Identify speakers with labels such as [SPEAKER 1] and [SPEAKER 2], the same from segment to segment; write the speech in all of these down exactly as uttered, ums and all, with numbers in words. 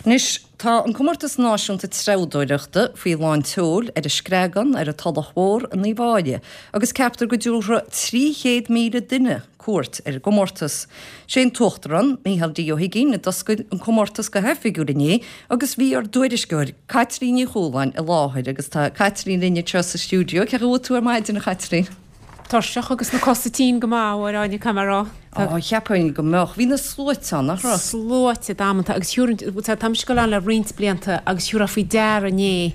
[SPEAKER 1] Anois tá an comórtas náisiúnta treabhdóireachta faoi lán tseoil ar an Screagán ar an Tulach Mhór in Uíbh Fhailí, agus ceaptar go dtabharfaidh trí chéad míle duine cuairt ar an gcomórtas. Sé an tUachtarán, Micheál D. Ó hUiginn, a d'oscail an comórtas go hoifigiúil inné agus bhí ár dtuairisceoir Caitlín Ní Chualáin i láthair agus tá Caitlín linn anseo sa stiúideo. Cén chaoi a bhfuil tú ar maidin a Chaitlín?
[SPEAKER 2] Tuirseach agus na cosa tinn go maith a Áine caithfidh mé a rá.
[SPEAKER 1] Ó cheapfainn go mbeadh. Bhí na sluaite ann, nach raibh?
[SPEAKER 2] Sluaite damanta agus thiúrfainn, tá mise ag dul ann le roinnt blianta agus thiúrfá faoi deara inné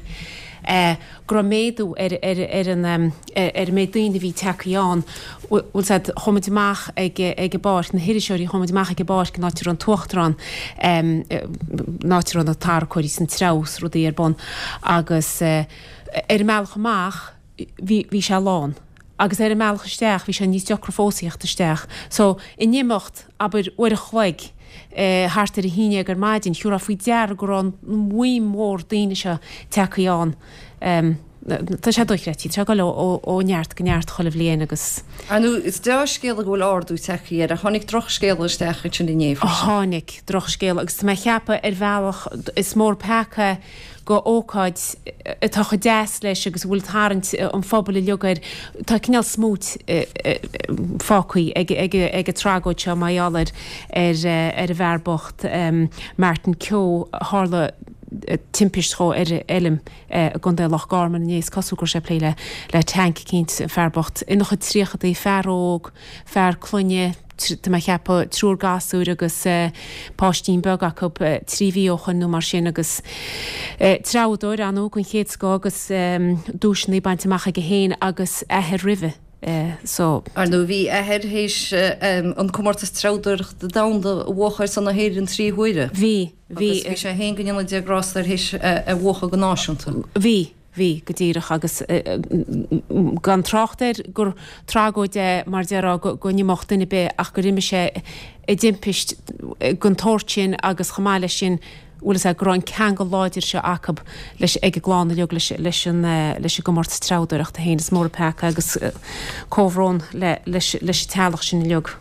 [SPEAKER 2] go raibh méadú ar ar ar an ar an méid daoine a bhí tagtha ann. Bhfuil 'fhios a'd, chuaigh muid amach ag ag an bpáirc, na hiriseoirí, chuaigh muid amach ag an bpáirc an áit a raibh an tUachtarán, an áit a raibh na tarracóirí is an treabhadh is rudaí ar bun agus ar an mbealach amach bhí bhí sé lán. Agus ar an mbealach isteach, bhí sé níos deacra fós a theacht isteach. So, in imeacht, abair, uair a chloig, thart ar a haon déag ar maidin, thiúrfá faoi deara go raibh an bhuíon mhór daoine seo tagtha ann. Tá sé dochreidte, tá sé ag dul ó neart go neart chuile bhliain agus.
[SPEAKER 1] Ar ndóigh, is dea-scéala go bhfuil ardú tagtha air, ach tháinig drochscéala isteach ansin inné freisin.
[SPEAKER 2] Tháinig drochscéala agus tá mé ag ceapadh ar bhealach is mór peaca go ócáid atá chomh deas leis agus a bhfuil tarraingt an phobail uilig air, tá cineál smúit fágtha ag an tragóid seo mar gheall ar ar an bhfear bocht Martin Keogh. Tharla timpist dhó ar a fheilm i gContae Loch Garman inné. Is cosúil go raibh sé ag plé le tanc eicínt, an fear bocht. Ina chuid tríochadaí, fear óg, fear clainne, tá mé a cheapadh, triúr gasúir agus páistín beag acu trí mhí ó shoin nó mar sin agus treabhadóir ar ndóigh den chéad scoth agus duaiseanna bainte amach aige féin agus athair roimhe so.
[SPEAKER 1] Ar ndóigh bhí athair théis an comórtas treabhdóireachta domhanda a bhuachan ar son na hÉireann trí huaire.
[SPEAKER 2] Bhí, bhí.
[SPEAKER 1] Agus bhí sé féin go ndéana Dia grásta air théis a bhuachan go náisiúnta.
[SPEAKER 2] Bhí. Bhí, go díreach, agus gan trácht air gur tragóid é, mar déarfá, go n-imeodh duine ar bith ach gur imigh sé i dtimpist den tsórt sin agus chomh maith leis sin, bhfuil fhios a'd, go raibh an ceangal láidir seo acu leis, ag an gclann uilig leis, leis an, leis an gcomórtas treabhdóireachta féin. Is mór an peaca agus comhbhrón le, leis, leis an teaghlach sin uilig.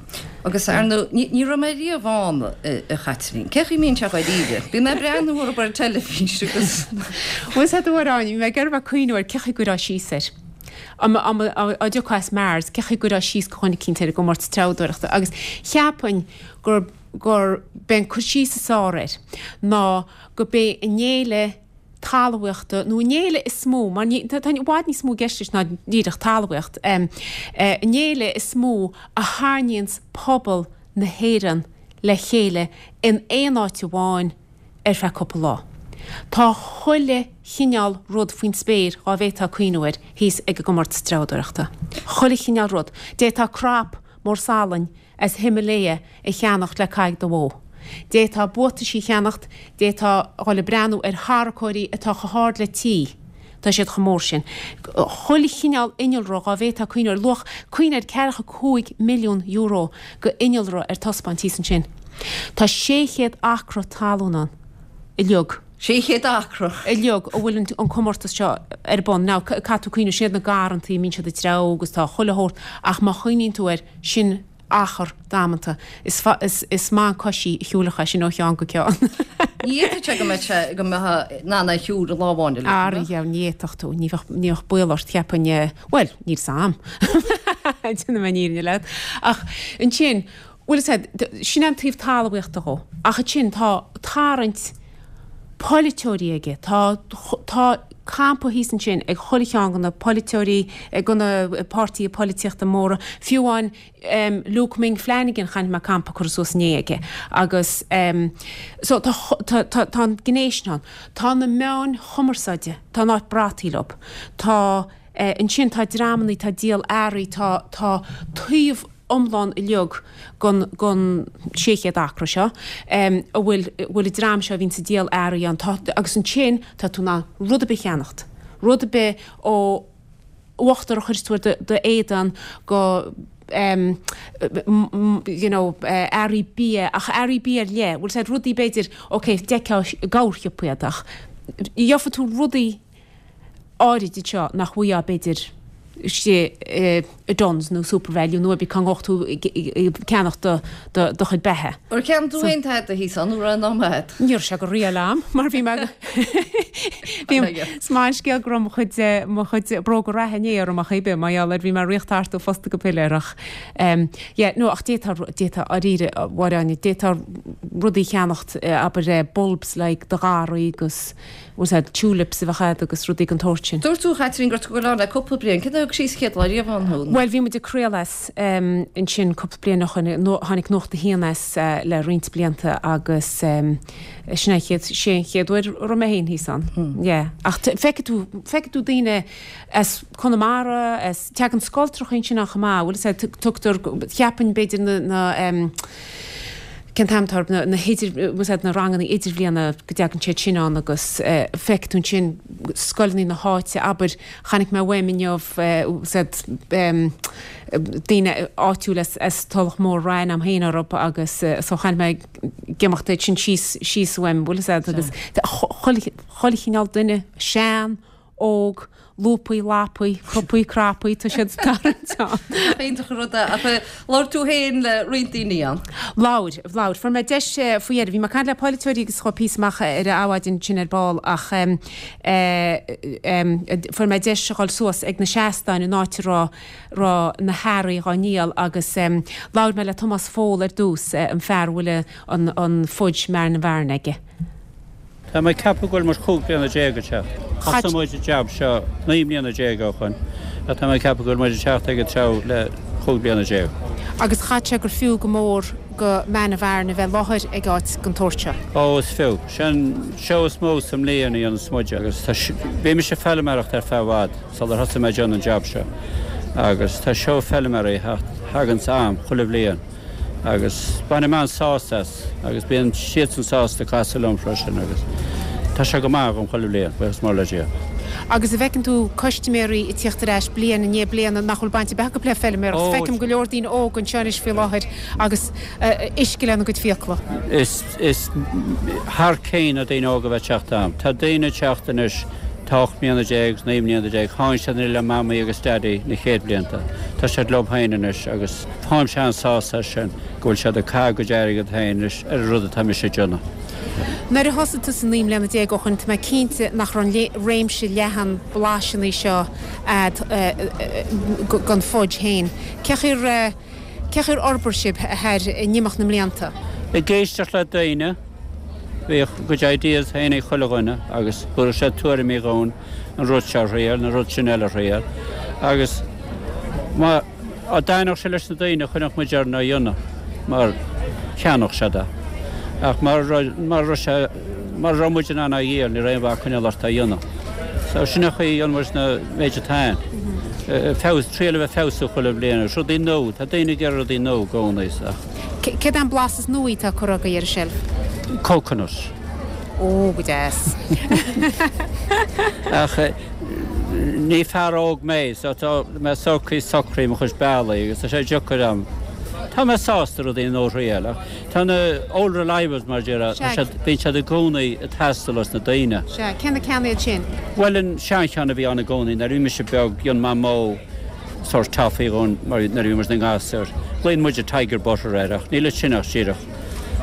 [SPEAKER 1] Agus ar ndóigh, ní, ní raibh mé riamh ann, a Chaitlín. Cén chaoi a mbíonn sé dháiríre? Bíonn mé ag breathnú orthu ar an teilifís agus.
[SPEAKER 2] Bhfuil fhios a'd a Áine, bhí mé ag iarraidh bheith ag cuimhniú ar cén chaoi a gcuirfeá síos air. Dá dá dtiocfá as Mars, cén chaoi a gcuirfeá síos go dhuine eicínt ar an gcomórtas treabhdóireachta agus cheapfainn gur, gur b'é an cur síos is fearr air ná go b'é an fhéile talmhaíochta nó an fhéile is mó, mar ní, tá i bhfad níos mó i gceist leis ná díreach talmhaíocht, an fhéile is mó a tharraingíonns pobal na hÉireann le chéile in aon áit amháin ar feadh cúpla lá. Tá chuile chineál rud faoin spéir dhá bhféadfá cuimhniú air thíos ag an gcomórtas treabhdóireachta. Chuile chineál rud. D'fhéadfá crap mór salainn as Himalaya a cheannacht le caitheamh ag do bhó. D'fhéadfá buataisí a cheannacht, d'fhéadfá dhul ag breathnú ar tharracóirí atá chomh hard le tí, tá siad chomh mór sin. Chuile chineál innealra dhá bhféadfá cuimhniú air, luach, cuimhnigh air, ceathracha cúig milliún euro go innealra ar taispeáint thíos ansin. Tá sé chéad acra talún ann uilig.
[SPEAKER 1] Sé chéad acra.
[SPEAKER 2] Uilig a bhfuil an comórtas seo ar bun. Now, caithfidh tú cuimhniú, sin iad na garrantaí a mbíonn siad ag treabhadh agus tá chuile shórt, ach má chuimhníonn tú air, sin achar damanta. Is is maith an coisí a shiúlfadh é sin ó cheann go ceann.
[SPEAKER 1] Ní fhéadfadh sé go mbeadh sé, go mbeadh in ann é a shiúl i lá amháin uilig,
[SPEAKER 2] Ara, dheabhail, ní fhéadfadh tú. Ní bheadh, ní bheadh baol ort, cheapfainn, bhuel, níl 's a'm. Déanfaidh mé an fhírinne leat. Ach ansin, Bhuel, is ea, sin é an taobh talmhaíochta dhó. Ach ansin tá tarraingt polaiteoirí aige. Tá, tá campa thíos ansin ag chuile cheann de na polaiteoirí, de na páirtithe polaitíochta móra. Fiú amháin Luke Ming Flanagan, chonaic mé campa curtha suas inné aige. Agus so tá, tá, tá, tá an gné sin ann. Tá na meáin chumarsáide, tá an áit brataithe leo. Tá, ansin tá dreamannaí, tá díol earraí, tá, tá taobh, iomlán uilig gon gon sé chéad acra seo a bhfuil bhfuil an dream seo a bhíonns ag díol earraí ann tá agus ansin tá tú in ann rud ar bith a cheannacht rud ar bith ó uachtar a chuireas tú ar do do éadan go em you know earraí bia ach earraí bia ar leith bhfuil 's a'd rudaí b'fhéidir ok d'fheicfeá i gcorrshiopa iad ach gheobhaidh tú rudaí áirid anseo nach bhfaighfeá b'fhéidir istigh i Dunnes nó Supervalu nó bí cá ngabhfadh tú ag ceannach do do chuid beatha.
[SPEAKER 1] Ar cheannaigh tú féin tada thíos ann nó raibh an am agat?
[SPEAKER 2] Ní raibh sé go riail a'm mar bhí mé bhí is maith an scéal go raibh mo chuid mo chuid bróga reatha inné orm ach ar bith mar gheall ar bhí mé ag rith thart ó fosta go piléar ach yeah no ach d'fhéadfá d'fhéadfá dáiríre a Mháire Áine d'fhéadfá rudaí a cheannacht abair bulbs like do gharraí agus was that tulips a bheadh agat agus rudaí den tsórt sin.
[SPEAKER 1] Dúirt tú, a Chaitrín, go raibh tú ag dul ann le cúpla bliain. Cé a thug síos chéad lá riamh ann thú?
[SPEAKER 2] Bhuel, bhí muid ag craoladh as ansin cúpla bliain ó shoin, tháinig Nuacht a hAon as le roinnt blianta agus sin é an chéad, sé an chéad uair a raibh mé féin thíos ann. Yeah. Ach feicfidh tú, feicfidh tú daoine as Conamara, as, teagann scoltracha ansin ann chomh maith, bhfuil a fhios agat, tugtar, cheapfainn b'fhéidir na, na, Cén t-ainm atá orthu, na hidir, bhfuil a fhios agat, na ranganna idirbhliana go dtagann siad sin ann agus feicfidh tú ansin scoileanna na háite, abair, chonaic mé uaim inniu, bhfuil a fhios agat, daoine áitiúil as, as Tulach Mhór raibh ainm féin orthu agus so chonaic mé ag imeacht iad sin síos, síos uaim, bhfuil a fhios agat, agus chuile, chuile chineál duine, sean, óg, lúpaí, lapaí, crupaí, crapaí, tá siad tarraingt ann.
[SPEAKER 1] Nach iontach an rud é. Ach labhair tú féin le roinnt daoine ann?
[SPEAKER 2] Labhair, labhair. Fuair mé deis faoi dheireadh. Bhí mé ag caint le polaiteoirí agus chuaigh píosa amach ar an Adhmhaidin sin ar ball ach fuair mé deis a dhul suas ag na seastáin an áit a raibh raibh na hearraí dhá ndíol agus labhair mé le Tomás Phól ar dtús, an fear a bhfuil an an fudge Marnavern aige.
[SPEAKER 3] Tá mé ag ceapadh go bhfuil muid chúig bliana déag ag teacht. Thosaigh muid an jab seo naoi mbliana déag ó shoin ach tá mé ag ceapadh go bhfuil muid ag teacht ag an treabh le chúig bliana déag.
[SPEAKER 2] Agus chaithfeadh sé gur fiú go mór go Manavern a bheith láthair ag áit den tsórt seo.
[SPEAKER 3] Ó, is fiú. Sé an seó is mó sa mbliain a dhéanas muide agus tá, bhí mise ag feilméaracht ar feadh i bhfad sular thosaigh mé ag déanamh an jab seo agus tá seó feilméaraí a thaganns a'm chuile bhliain. Agus bainim an-sásamh as agus bíonn siadsan sásta casadh liom freisin agus tá sé go maith agam chuile bhliain, buíochas mór le Dia.
[SPEAKER 2] Agus an bhfeiceann tú custaiméirí ag tíocht ar ais bliain i ndiaidh bliana nach bhfuil baint ar bith acu le feilméaracht? Feicim go leor daoine óga anseo anois faoi láthair agus uisce lena gcuid fiacla.
[SPEAKER 3] Is, is thar cionn na daoine óga a bheith ag teacht a'm. Tá daoine ag teacht anois tá ocht mbliana déag, naoi mbliana déag, tháinig siad le mamaí agus daidí na chéad bhlianta. Tá siad leo féin anois agus. Táimse an-sásta as sin, go bhfuil siad ag caitheamh a gcuid airgead féin anois ar an rud atá mise ag déanamh.
[SPEAKER 2] Nuair a thosaigh tusa naoi mbliana déag ó shoin, tá mé cinnte nach raibh an réimse leathan blaiseanna seo a'd gon fudge féin. Cé chaoi ar, cé chaoi ar fhorbair sibh thar in imeacht na mblianta?
[SPEAKER 3] Ag éisteacht le daoine, bhíodh a gcuid ideas féin ag chuile dhuine agus thabharfadh siad tuairimí dhúinn, an rud seo a thriail, an rud sin eile a thriail agus má, Dá dtaitneodh sé leis na daoine choinneodh muid orainn á dhéanamh mar cheannódh siad é. Ach mara raibh sé, mara raibh muid in ann á dhíol ní raibh aon mhaith coinneáil ort á dhéanamh. So sin an chaoi a dhéanann muid na méid atá ann. Feabhas, triail a bheith feabhsú chuile bhliain agus rudaí nua, tá daoine ag iarraidh rudaí nua i gcónaí so.
[SPEAKER 2] Céard é an blas is nuaí atá curtha agaibh ar an tseilf?
[SPEAKER 3] Coconut.
[SPEAKER 2] Ó, go deas.
[SPEAKER 3] Ach ní fear óg mé so tá mé socraí socraí mo chuid bealaí agus tá sé deacair a'm. Tá mé sásta rudaí nua a thriail ach tá na old reliables mar a déarfá, tá siad, bíonn siad i gcónaí ag teastáil os na daoine.
[SPEAKER 2] Sea, cé na ceanna iad sin?
[SPEAKER 3] Bhuel an seancheann a bhí ann i gcónaí nuair a bhí mise beag, dhein Mamó sórt toffee dhúinn mar nuair a bhí muid ina ngasúir. Glaonn muide tiger butter air ach níl ansin ach díreach.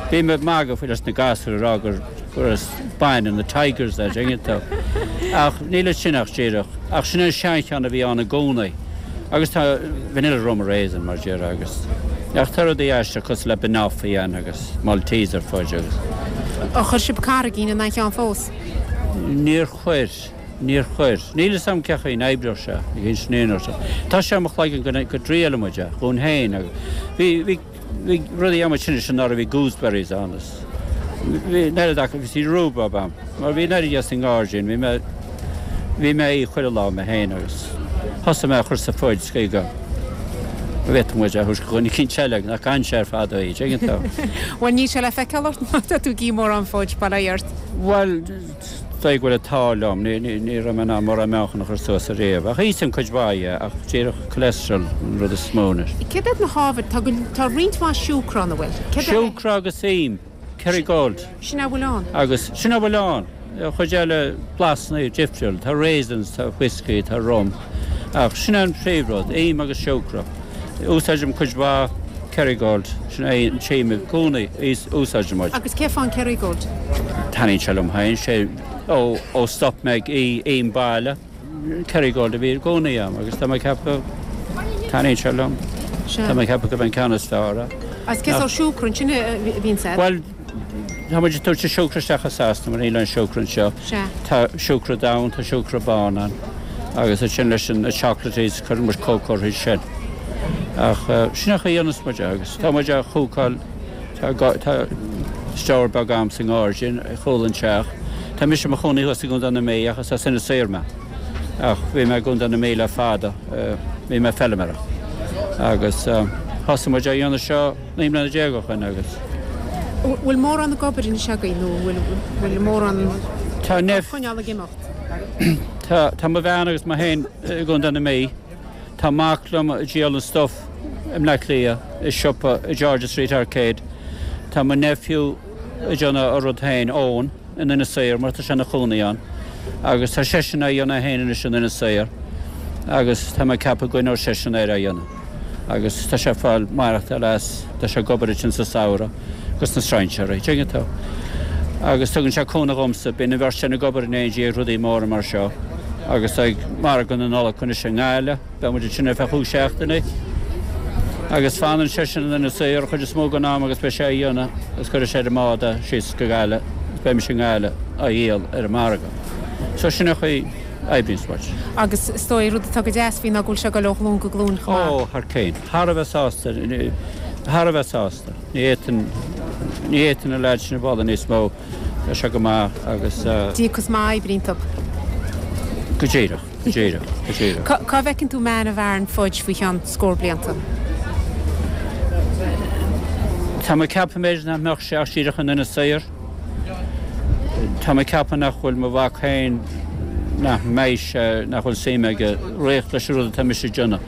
[SPEAKER 3] Bhí mé ag magadh faoi leis na gasúir ag rá gur gur as bainne na Tigers é, dtuigeann tú. Ach níl ansin ach díreach. Ach sin é an seancheann a bhí ann i gcónaí. Agus tá vanilla rum raisin mar a déarfá agus ach tá rudaí aisteach cosúil le banoffee ann agus Malteser fudge agus.
[SPEAKER 2] Ar chuir sibh carraigín in aon cheann fós?
[SPEAKER 3] Níor chuir. Níor chuir. Níl fhios a'm cé chaoi n-oibreodh sé, ag insint sé. Tá sé i mo chloigeann go go dtriailfidh muid é, dhúinn féin agus bhí, bhí, Bhí rudaí amuigh sin is anuraidh bhí gooseberries ann is bhí an oiread acu bhí rhubarb ann mar bhí an oiread dhe sa ngairdín bhí mé bhí mé á ithe chuile lá mé féin agus thosaigh mé a chur sa fudge is go bhféadfadh muid é a thabhairt go dhuine eicínt eile nach gcaitheann sé ar fad é tuigeann tú.
[SPEAKER 2] Bhuel níl sé le feiceáil ort má tá tú ag ithe mórán fudge, bail ó Dhia ort.
[SPEAKER 3] Bhuel dóigh go bhfuil an t-ádh liom, ní raibh mé in ann mórán meáchan a chur suas ariamh. Ach íosaim cuid mhaith dhe, ach díreach cholesterol an rud is mó anois.
[SPEAKER 2] Céard iad na hábhair? Tá go, tá roinnt mhaith siúcra ann, an bhfuil? Céard é?
[SPEAKER 3] Siúcra agus im, Kerrygold.
[SPEAKER 2] Sin a bhfuil ann?
[SPEAKER 3] Agus, sin a bhfuil ann. An chuid eile, blasanna difriúil. Tá raisins, tá whiskey, tá rum. Ach sin an príomhrud, im agus siúcra. Úsáidim cuid mhaith Kerrygold, sin é an t-im i gcónaí úsáidim.
[SPEAKER 2] Agus cén fáth an Kerrygold?
[SPEAKER 3] Taitníonn sé liom féin, sé ó ó stop mé ag im baile, Kerrygold a bhí i gcónaí agam agus tá mé ag ceapadh taitníonn sé liom. Tá mé ag ceapadh gurb é an ceann is fearr é.
[SPEAKER 2] Agus cén sórt siúcra ansin a bhíonn agat?
[SPEAKER 3] Bhuel, tá muid ag tabhairt an siúcra isteach as Sasana mar níl an siúcra anseo. Tá siúcra donn, tá siúcra bán ann agus ansin leis an chocolates cuireann muid cócó orthu sin. Ach sin an chaoi a dhéanas muid é agus tá muid á chócáil, tá tá stór beag agam sa ngairdín ar chúl an teach. Tá mise i mo chónaí thuas i gContae na Mí ach is as Inis Oírr mé. Ach bhí mé i gContae na Mí le fada, bhí mé ag feilméaracht. Agus thosaigh muid á dhéanamh seo naoi mbliana déag ó shoin agus.
[SPEAKER 2] Bhfuil mórán ag obair anois agaibh nó bhfuil bhfuil mórán
[SPEAKER 3] Tá
[SPEAKER 2] á choinneáil ag imeacht?
[SPEAKER 3] Tá tá mo bhean agus mé féin i gContae na Mí. Tá mac liom ag díol an stuif i mBleá Cliath i siopa i George's Street Arcade. Tá mo nephew ag déanamh a rud féin, Eoin, in Inis Oírr mar tá sé ina chónaí ann agus tá seisean á dhéanamh féin anois in Inis Oírr agus tá mé ag ceapadh go gcoinneoidh seisean air á dhéanamh agus tá sé ag fáil maireachtáil as, tá sé ag obair ansin sa samhradh agus na strainséirí, tuigeann tú. Agus tugann sé cúnamh dhomsa, bíonn an bheirt sin ag obair in éindí ag rudaí móra mar seo agus ag margadh na Nollag anois i nGaillimh, beidh muid ansin ar feadh chúig seachtainí. Agus fanann seisean in Inis Oírr an chuid is mó den am agus beidh sé á dhéanamh agus cuirfidh sé ar an mbád é síos go Gaillimh agus beidh mise i nGaillimh á dhíol ar an margadh. So sin an chaoi a oibríonns muid.
[SPEAKER 2] Agus is dóigh, rud atá go deas faoi ná go bhfuil sé ag dul ó ghlúin go glúin chomh maith.
[SPEAKER 3] Ó, thar cionn. Thar a bheith sásta. Thar a bheith sásta. Ní fhéadfainn, ní fhéadfainn na leaids sin a mholadh níos mó. Tá sé go maith agus.
[SPEAKER 2] Díocas maith oibre iontu.
[SPEAKER 3] Go díreach. Go díreach, go díreach.
[SPEAKER 2] Cá bhfeiceann tú Man of Aran Fudge faoi cheann scór blianta?
[SPEAKER 3] Tá mé ag ceapadh b'fhéidir nach mbeadh sé ach díreach in Inis Oírr. Tá mé ag ceapadh nach bhfuil mo mhac féin, nach mbeidh sé, nach bhfuil suim aige réidh leis an rud atá mise ag déanamh.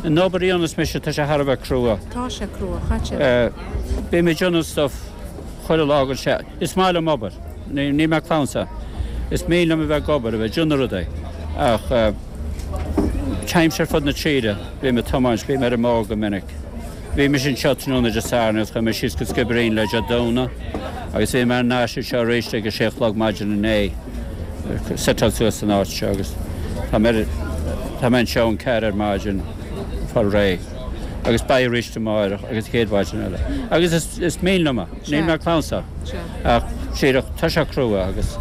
[SPEAKER 3] An obair a dhéanas mise, tá sé thar a bheith crua.
[SPEAKER 2] Tá sé crua, chaite.
[SPEAKER 3] Bím ag déanamh stuff chuile lá den seachtain. Is maith liom obair. Níl mé clamhsán. Is mian liom a bheith ag obair, a bheith ag déanamh rudaí, ach téimse ar fud na tíre, bím ag tiomáint, bím ar an mbóthar go minic. Bhí mise anseo tráthnóna Dé Sathairn agus chuaigh mé síos go Skibbereen le Dé Domhnaigh agus bhí mé thar n-ais anseo arís ag a sé a chlog maidin inné, seiteáil suas san áit seo agus tá mé tá mé anseo ón ceathair ar maidin fáil réidh agus beidh arís amáireach agus an chéad mhaidin eile. Agus is is mian liom é, níl mé clamhsán. Ach díreach, tá sé crua agus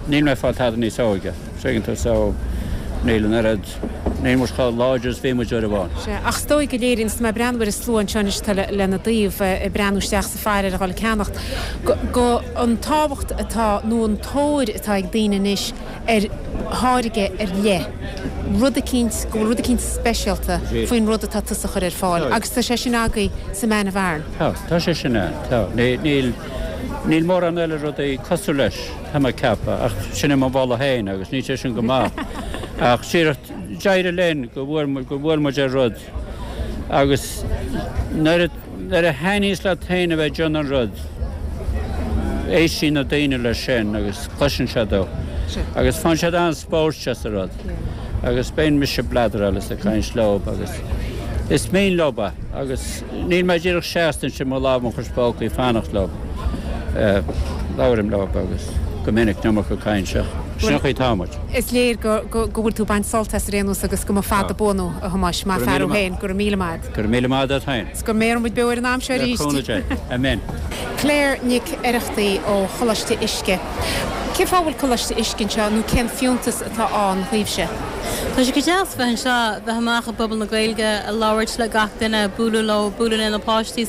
[SPEAKER 3] níl mé ag fáil tada níos óige, tuigeann tú, so níl an oiread, níl muid chomh láidir is bhí muid uair amháin.
[SPEAKER 2] Sea, ach is dóigh go léiríonn, is mé ag breathnú ar an slua anseo anois atá lena dtaobh, ag breathnú isteach sa pharáid a dhul ag ceannacht, go, go, an tábhacht atá, nó an tóir atá ag daoine anois ar tháirge ar leith, rud eicínt, go bhfuil rud eicínt speisialta faoin rud atá tusa a chur ar fáil agus tá sé sin agaibh sa Man of Aran.
[SPEAKER 3] Tá, tá sé sin ann, tá. Níl, níl mórán eile rudaí cosúil leis, tá mé ag ceapadh, ach sin é mo mholadh féin agus níl sé sin go maith. Ach díreach, d'éirigh linn go bhfuair, go bhfuair muid ar rud agus nuair a, nuair a thaitníos leat féin a bheith ag déanamh an rud, éistíonn na daoine leis sin agus cloiseann siad ó agus faigheann siad an-spóirt as an rud agus bíonn mise ag bladráil is ag caint leob agus is mian leob é agus níl mé díreach seasta ansin mo lámh mo chois póca ag fanacht leob. Labhraím leob agus go minic an iomarca caint ach sin an chaoi atá muid.
[SPEAKER 2] Is léir go go bhfuil tú ag baint sult as ar aon nós agus go mba fada buan thú, a Thomáis, maith fear thú féin, go raibh míle maith
[SPEAKER 3] a't. Go raibh míle maith a't féin.
[SPEAKER 2] 'S go mbéarfaidh muid beo ar an am seo
[SPEAKER 3] arís. Le cúnamh Dé. Amen.
[SPEAKER 2] Claire Nic Oireachtaigh ó Choláiste Uisce. Cén fáth a bhfuil Coláiste Uisce anseo nó cén fiúntas atá ann dhaoibhse?
[SPEAKER 4] Tá sé go deas bheith anseo, bheith amach i bpobal na Gaeilge, a labhairt le gach duine, bualadh leo, bualadh le na páistí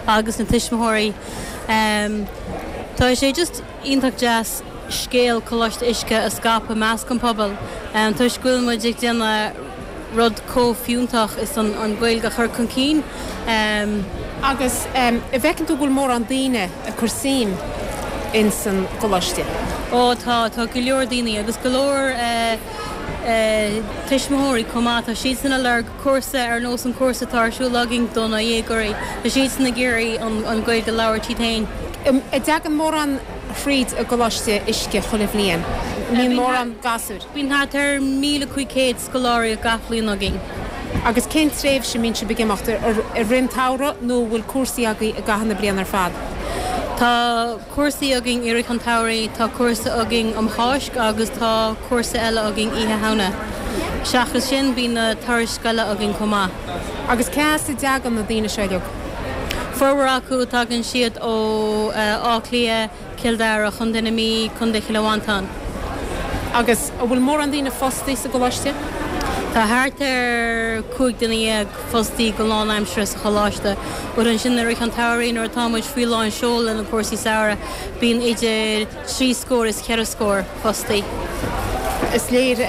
[SPEAKER 4] agus na tuismitheoirí. Tá sé just iontach deas scéal Coláiste Uisce a scaipeadh i measc an pobail toisc go bhfuil muid ag déanamh rud chomh fiúntach is an Ghaeilge a chur chun cinn.
[SPEAKER 2] Agus an bhfeiceann tú go bhfuil mórán daoine ag cur suim ins an gcoláiste?
[SPEAKER 4] Ó tá, tá go leor daoine agus go leor tuismitheoirí chomh maith, tá siadsan ag lorg cúrsa ar nós an cúrsa atá ar siúl againn do na dhéagóirí, tá siadsan ag iarraidh an Ghaeilge a labhairt iad féin.
[SPEAKER 2] An dtagann mórán thríd an gcoláiste uisce chuile bhliain? Bíonn mórán gasúr.
[SPEAKER 4] Bíonn thart ar míle cúig chéad scoláirí gach bliain againn.
[SPEAKER 2] Agus cén tréimhse a mbíonn sibh ag imeacht ar i rith an tsamhraidh nó bhfuil cúrsaí agaibh i gcaitheamh na bliana ar fad?
[SPEAKER 4] Tá cúrsaí againn i rith an tsamhraidh, tá cúrsa againn um Cháisc agus tá cúrsa eile againn Oíche Shamhna. Seachas sin bíonn na turais scoile againn chomh maith.
[SPEAKER 2] Agus cá as a dtagann na daoine seo uilig?
[SPEAKER 4] Formhór acu tagann siad ó Áth Cliath, Cill Dara, Contae na Mí, Contae Chill Mhantáin.
[SPEAKER 2] Agus an bhfuil mórán daoine fostaí sa gcoláiste?
[SPEAKER 4] Tá thart ar cúig duine dhéag fostaí go lánaimseartha sa choláiste, but ansin i rith an tsamhraidh nuair atá muid faoi lán seoil le na cúrsaí samhraidh, bíonn idir trí scór is ceithre scór fostaí.
[SPEAKER 2] Is léir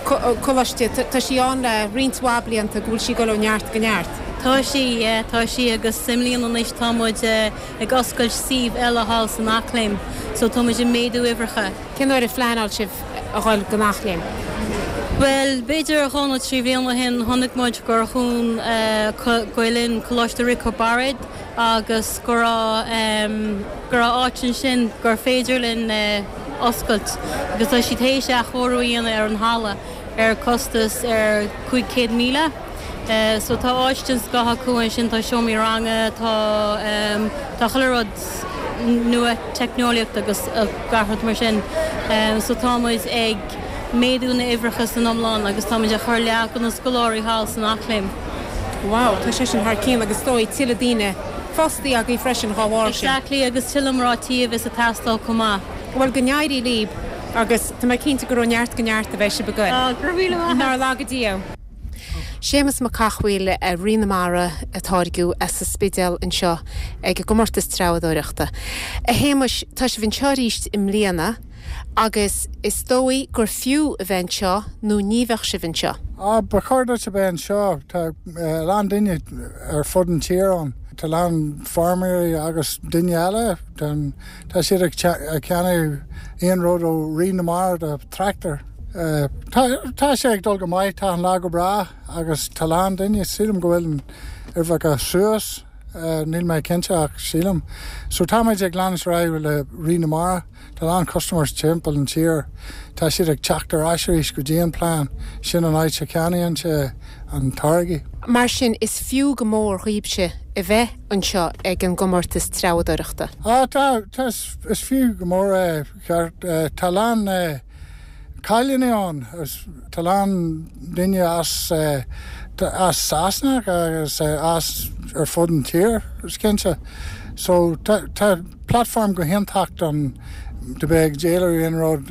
[SPEAKER 2] coláiste, tá sí ann le roinnt mhaith blianta go bhfuil sí ag dul ó neart go neart.
[SPEAKER 4] Tá sí, yeah, tá sí agus i mbliana anois tá muid ag oscailt suíomh eile thall san Eachléim, so tá muid ag méadú uimhreacha.
[SPEAKER 2] Cén uair a phleanáil sibh a dhul go Eachléim?
[SPEAKER 4] Well, b'fhéidir dhá nó trí bhliain ó shin chonaic muid gur dhún Gael-Linn Coláiste Riocard Bairéad agus go raibh go raibh áit ansin gur féidir linn oscailt agus tá siad théis athchóiriú a dhéanamh ar an halla ar costas ar cúig chéad míle. So tá áit den scoth acu ansin, tá seomraí ranga, tá tá chuile rud nua teicneolaíocht agus gach rud mar sin. So tá muid ag méadú na uimhreacha san iomlán agus táimid ag cur leath de na scoláirí thall san Eachléim.
[SPEAKER 2] Wow, tá sé sin thar cionn agus is dóigh tuilleadh daoine fostaí agaibh freisin dhá bharr sin.
[SPEAKER 4] Exactly agus tuilleadh mná tí a bheas ag teastáil chomh maith.
[SPEAKER 2] Bhuel go n-éirí libh agus tá mé cinnte gur ó neart go neart a bheidh sibh ag goil.
[SPEAKER 4] Ah, go raibh míle maith.
[SPEAKER 2] Nár laga Dia. Séamus Mac Cathmhaoil Rí na Mara a táirgeadh as an Spidéal anseo ag an gcomórtas treabhdóireachta. A Shéamuis, tá sibh anseo arís i mbliana agus is dóigh gur fiú a bheith anseo nó ní bheadh sibh anseo.
[SPEAKER 5] Á, ba chóir duit a bheith anseo. Tá a lán daoine ar fud an tír ann. Tá a lán feirmeoirí agus daoine eile. Tá siad ag ceannach aon rud ó Rí na Mara do tractor. Tá sé ag dul go maith, tá an lá go breá agus tá a lán daoine. Sílim go bhfuil an uimhreacha suas, níl mé cinnte ach sílim. So táimid ag leanúint ar aghaidh le Rí na Mara. Tá a lán customers timpeall an tír. Tá siad ag teacht ar ais arís go dtí an plean. Sin an áit a cheannaíonn sé an táirgí.
[SPEAKER 2] Mar sin is fiú go mór dhaoibhse a bheith anseo ag an gcomórtas treabhdóireachta.
[SPEAKER 5] Á tá, tá, is fiú go mór é. Tá a lán cailíní ann. Tá a lán daoine as as Sasana agus as ar fud an tír, is cinnte. So tá tá platform go hiontach don do bheith ag díol aon rud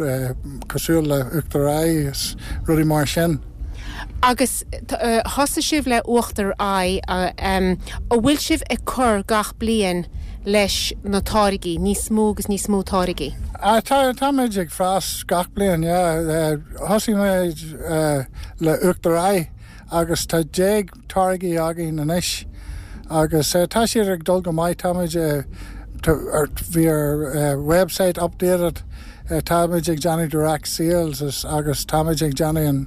[SPEAKER 5] cosúil le uachtar aghaidh is rudaí mar sin.
[SPEAKER 2] Agus thosaigh sibh le uachtar aghaidh, an bhfuil sibh ag cur gach bliain leis na táirgí, níos mó agus níos mó táirgí?
[SPEAKER 5] Ah, tá táimid ag fás gach bliain, yeah. Thosaigh muid le uachtar aghaidh agus tá déag táirgí againn anois agus tá siad ag dul go maith, táimid bhí ar website updated, táimid ag déanamh direct sales agus táimid ag déanamh an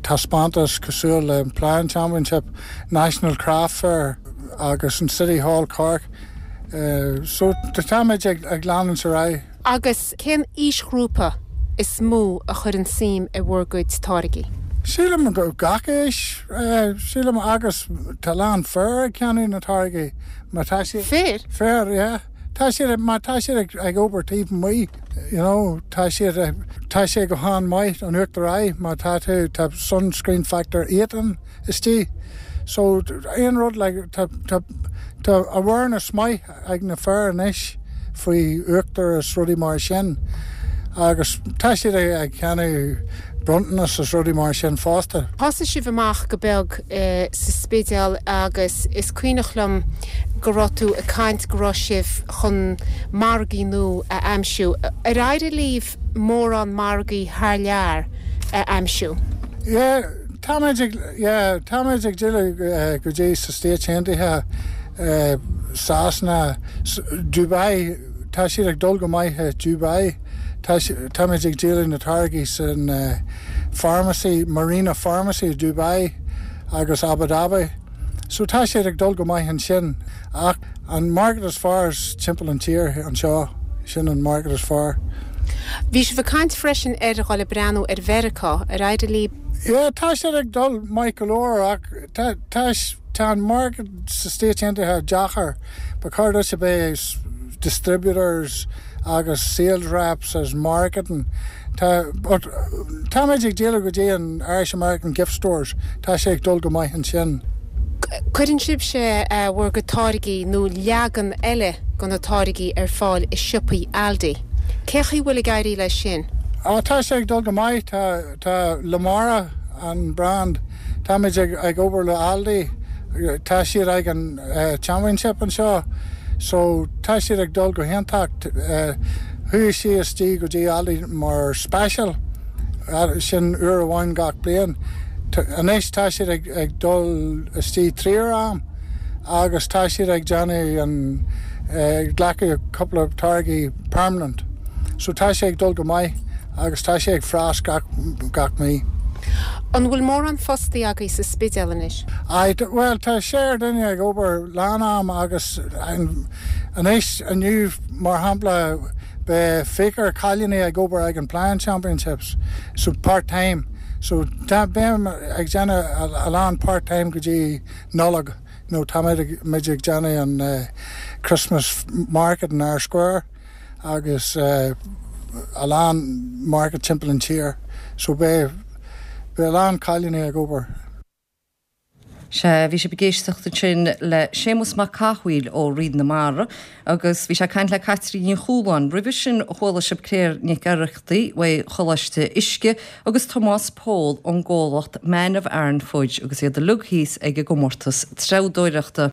[SPEAKER 5] taispeántas cosúil le Ploughing Championship, National Craft Fair agus an City Hall Cork. So táimid ag ag leanúint ar aghaidh.
[SPEAKER 2] Agus cén aoisghrúpa is mó a chuireann suim i bhur gcuid táirgí?
[SPEAKER 5] Sílim go gach aois, sílim agus tá a lán fir ag ceannach na táirgí má tá siad.
[SPEAKER 2] Fir?
[SPEAKER 5] Fir, yeah. Tá siad má tá siad ag ag obair taobh amuigh, you know, tá siad tá sé go han-mhaith an uachtar aghaidh má tá tú tá sunscreen factor eighteen istigh. So aon rud like tá tá tá awareness maith ag na fir anois faoi uachtar is rudaí mar sin agus tá siad ag ceannach bronntanas is rudaí mar sin fosta.
[SPEAKER 2] Thosaigh sibh amach go beag sa Spidéal agus is cuimhneach liom go raibh tú ag caint go raibh sibh chun margaí nua a aimsiú. Ar éirigh libh mórán margaí thar lear a aimsiú?
[SPEAKER 5] Yeah, táimid ag yeah, táimid ag dul go dtí sa Stáit Aontaithe, Sasana, Dubai, tá siad ag dul go maith i Dubai. Táimid ag díol na táirgí san pharmacy, Marina Pharmacy i Dubai agus Abu Dhabi. So tá siad ag dul go maith ansin ach an market is fearr is timpeall an tír anseo. Sin an market is fearr.
[SPEAKER 2] Bhí sibh ag caint freisin ar dhul ag breathnú ar Mheiriceá ar éirigh libh.
[SPEAKER 5] Yeah, tá sé ag dul maith go leor ach tá tá tá an market sa States Aontaithe deacair ba chóir duit a bheith distributors agus sales reps as marketing. Tá but táimid ag díol go dtí an Irish American gift stores tá sé ag dul go maith ansin.
[SPEAKER 2] Cuireann sibhse bhur gcuid táirgí nó leagan eile de na táirgí ar fáil i siopaí Aldi. Cé chaoi bhfuil ag éirí leis sin?
[SPEAKER 5] Á tá sé ag dul go maith tá tá Lamara an brand Táimid ag ag obair le Aldi tá siad ag an uh, championship anseo so tá siad ag dul go hiontach uh, chuaigh sí istigh go dtí Aldi mar special uh, sin uair amháin gach bliain. Anois tá siad ag, ag dul istigh trí am agus tá siad ag déanamh an uh, glacadh cúpla táirgí permanent. So tá sé ag dul go maith agus tá sé ag fás gach, gach mí.
[SPEAKER 2] An bhfuil mórán fostaí agaibh sa Spidéal anois?
[SPEAKER 5] I, well tá sé duine ag obair lánam agus anois inniu mar shampla beidh fiche cailíní ag obair ag an Ploughing Championships so part-time so tá beim ag déanamh a lán part-time go dtí Nollaig nó tá muid ag déanamh an uh, Christmas market in Eyre Square agus uh, a lán market timpeall an tír so beidh beidh a lán cailíní ag obair.
[SPEAKER 1] Sé bhí sibh ag éisteacht ansin le Séamus Mac Cathmhaoil ó Fhraoigh na Mara agus bhí sé ag caint le Caitríona Ní Chualáin roimhe sin chuala sibh Claire Nic Oireachtaigh ó Choláiste Uisce agus Tomás Pól ón gcomhlacht Man of Aran Fudge agus iad uilig thíos ag an gcomórtas treabhdóireachta.